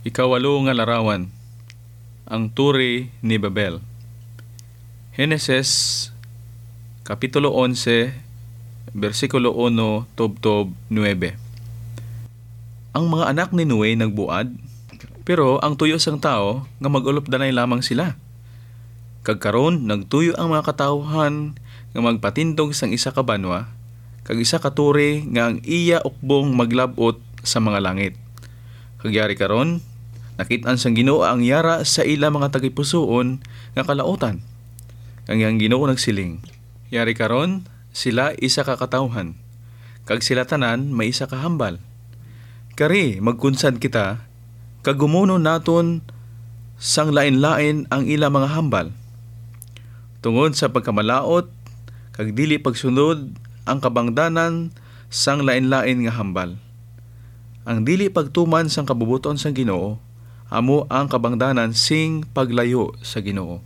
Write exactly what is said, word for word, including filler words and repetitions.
Ikawalo nga larawan, ang Turi ni Babel. Henesis, Kapitulo onse, bersikulo uno tubtob nuebe. Ang mga anak ni Noe nagbuad, pero ang tuyo sang tawo nga mag-ulopdanay lamang sila. Kag karon nagtuyo ang mga katawuhan nga magpatindog sang isa ka banwa, kag isa ka turi nga ang iya ukbong maglab-ot sa mga langit. Kag yari karon, nakit-an sang Ginoo ang yara sa ila mga tagipusoon nga kalautan. Kag ang Ginoo nagsiling, "Yari karon, sila isa ka katawuhan, kag sila tanan may isa ka hambal. Kari, magkunsad kita, kag gumunon naton sang lain-lain ang ila mga hambal, tungod sa pagkamalaut kag dili pagsunod ang kabangdanan sang lain-lain nga hambal. Ang dili pagtuman sang kabubot-on sang Ginoo amo ang kabangdanan sing paglayo sa Ginoo."